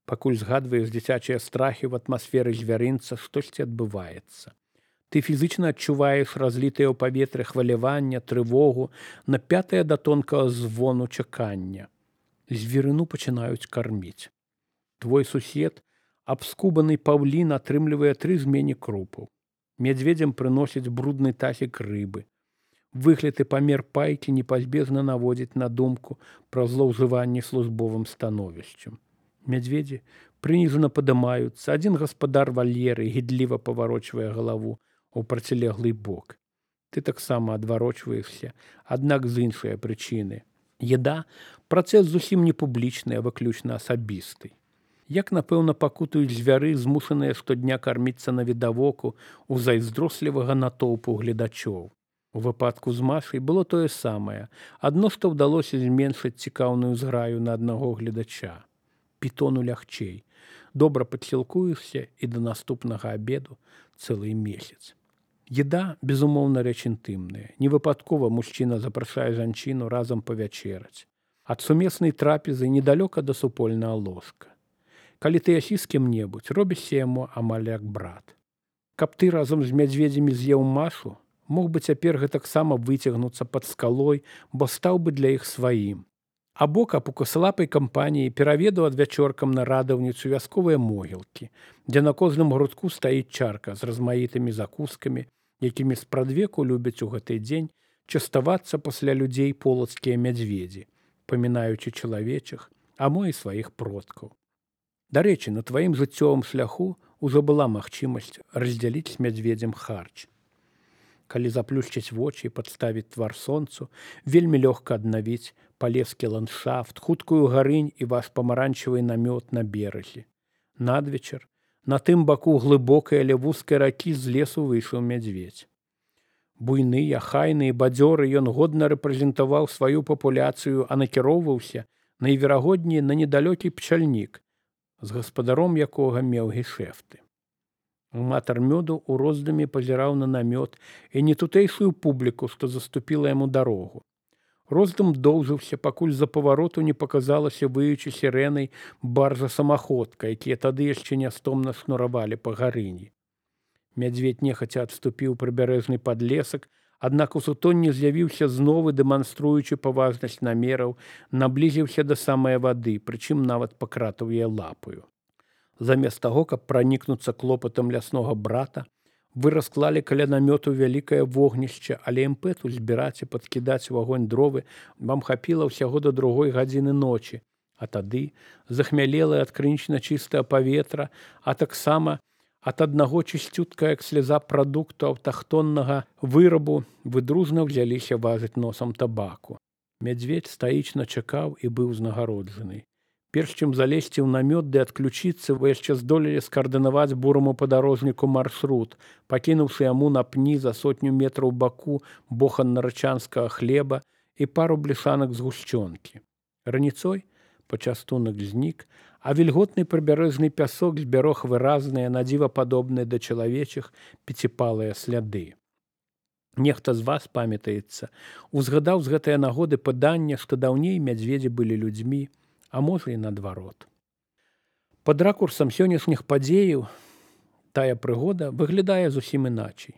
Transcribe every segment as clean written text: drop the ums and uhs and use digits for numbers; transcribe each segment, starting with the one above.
Пакуль згадваеш дзіцячыя страхі ў атмасферы звярынца, штосьці адбываецца. Ты фізычна адчуваеш разлітыя ў паветры хвалявання, трывогу, напятае да тонкага звону чакання. Звірыну пачынаюць карміць. Твой сусед, абскубаны паўлін, атрымлівае 3 змені крупаў. Мядзведзям прыносяць брудны тазік рыбы. Выгляд і памер пайкі непазбежна наводзіць на думку пра злоўжыванне службовым становішчам. Мядзведзі прыніжана падымаюцца, адзін гаспадар вальеры гідліва паварочвае галаву ў процілеглы бок. Ты таксама адварочваешся, аднак з іншай прычыны. Еда – працэс зусім не публічны, а выключна асабісты. Як, напэўна, пакутаюць звяры, змушаныя штодня карміцца навідавоку ў зайздрослівага натоўпу гледачоў. У выпадку з Машай было тое самае, адно што ўдалося зменшыць цікаўную зграю на аднаго гледача. Пітону лягчэй. Добра падсілкуешся і да наступнага абеду цэлы месяц. Еда, безумоўна, рэч інтымная. Невыпадкова мужчына запрашае жанчыну разам павячэраць. Ад сумеснай трапезы недалёка да супольнага ложка. Калі ты ясі з кім-небудзь, робішся яму амаль як брат. Каб ты разам з мядзведзямі з'еў Машу, мог бы цяпер гэтаксама выцягнуцца пад скалой, бо стаў бы для іх сваім. Або каб у косалапай кампаніі пераведаў адвячоркам на радаўніцу вясковыя могілкі, дзе на кожным грудку стаіць чарка з размаітымі закускамі, якімі спрадвеку любяць у гэты дзень частавацца пасля людзей полацкія мядзведзі, памінаючы чалавечых, а мо і сваіх продкаў. Дарэчы, на тваім жыццёвым шляху ўжо была магчымасць раздзяліць з мядзведзем харч. Калі заплюшчыць вочы і падставіць твар сонцу, вельмі лёгка аднавіць палескі ландшафт, хуткую гарынь і ваш памаранчевы намёт на беразе. Надвечар на тым баку глыбокай, але вузкай ракі з лесу выйшаў мядзведзь. Буйны, ахайны і бадзёры ён годна рэпрэзентаваў сваю папуляцыю, а накіроўваўся найверагодней на недалёкі пчальнік, з гаспадаром якога меў гешэфты. Аматар мёду ў роздуме пазіраў на намёт і не тутэйшую публіку, што заступіла яму дарогу. Роздум доўжыўся, пакуль за павароту не паказалася выючы сірэнай баржа-самаходка, якія тады яшчэ нястомна шнуравалі па гарыні. Мядзведь нехаця адступіў прыбярэжны падлесак, аднак у сутонні з'явіўся знову, дэманструючы паважнасць намераў, наблізіўся да самай вады, прычым нават пакратаў яе лапаю. Замест таго, каб пранікнуцца клопатам ляснога брата, вы расклалі каля намёту вялікае вогнішча, але імпэту збіраць і падкідаць у агонь дровы вам хапіла ўсяго до 2 гадзіны ночі, а тады захмялелае ад крынічна чыстае паветра, а таксама ад аднаго чысцютка, як сляза прадукту аўтахтоннага вырабу, вы дружна ўзяліся важыць носам табаку. Мядзведь стаічна чакаў і быў узнагароджаны. Перш чым залезці ў намёт ды адключыцца, вы яшчэ здолелі скаардынаваць бураму падарожніку маршрут, пакінуўшы яму на пні за 100 метраў баку бохан-нарачанскага хлеба і пару блішанак згушчонкі. Раніцой пачастунак знік, а вільготны прыбярэжны пясок збярог выразныя, надзіва падобныя да чалавечых пеціпалыя сляды. Нехта з вас, памятаецца, узгадаў з гэтае нагоды паданне, што даўней мядзведзі былі людзьмі, а можа і наадварот. Пад ракурсам сённяшніх падзеяў тая прыгода выглядае зусім іначай.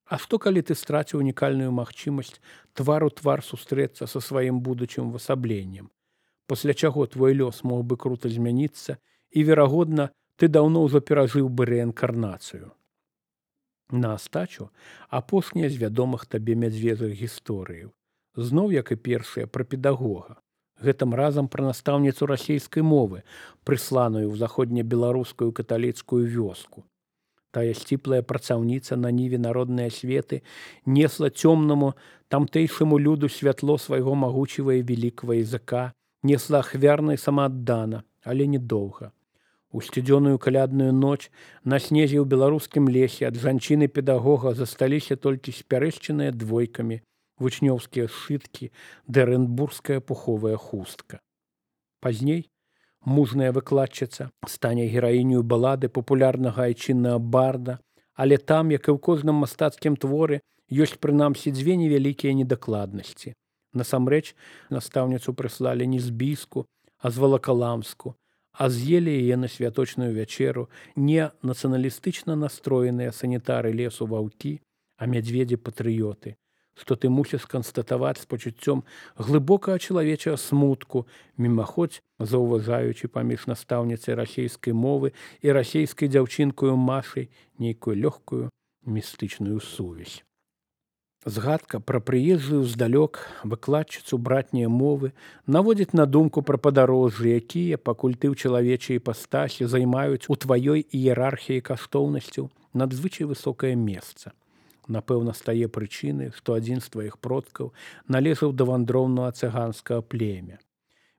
А што, калі ты страціў унікальную магчымасць твар у твар сустрэцца са сваім будучым увасабленнем, пасля чаго твой лёс мог бы крута змяніцца і, верагодна, ты даўно ўжо перажыў бы рэінкарнацыю. На астачу апошняя з вядомых табе мядзведзіх гісторыяў. Зноў, як і першая, пра педагога. Гэтым разам пра настаўніцу расейскай мовы, прысланую ў заходнебеларускую каталіцкую вёску. Тая сціплая працаўніца на ніве народнай асветы несла цёмнаму тамтэйшаму люду святло свайго магучага і велікага языка, несла ахвярна і самааддана, але недоўга. У сцюдзёную калядную ноч на снезе ў беларускім лесе ад жанчыны-педагога засталіся толькі спярэшчаныя двойкамі, вучнёўскія сшыткі ды арэнбургская пуховая хустка. Пазней мужная выкладчыца стане гераіню балады папулярнага айчыннага барда, але там, як і ў кожным мастацкім творы, ёсць прынамсі 2 невялікія недакладнасці. Насамрэч, настаўніцу прыслалі не з Біску, а з Валакаламску, а з'елі яе на святочную вячэру не нацыяналістычна настроеныя санітары лесу ваўкі, а мядзведзі-патрыёты, што ты мусіш канстатаваць з пачуццём глыбокага чалавечага смутку, мімаходзь заўважаючы паміж настаўніцай расейскай мовы і расейскай дзяўчынкаю Машай нейкую лёгкую містычную сувязь. Згадка пра прыезджую здалёк выкладчыцу братняе мовы наводзіць на думку пра падарожжы, якія, пакуль ты ў чалавечай іпастасі, займаюць у тваёй іерархіі каштоўнасцяў надзвычай высокае месца. Напэўна, стае прычынай, што адзін з тваіх продкаў належаў да вандроўнага цыганскага племя.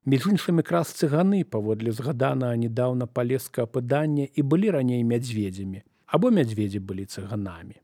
Між іншым, якраз цыганы, паводле згаданага нядаўна палескага апытання, і былі раней мядзведзямі, або мядзведзі былі цыганамі.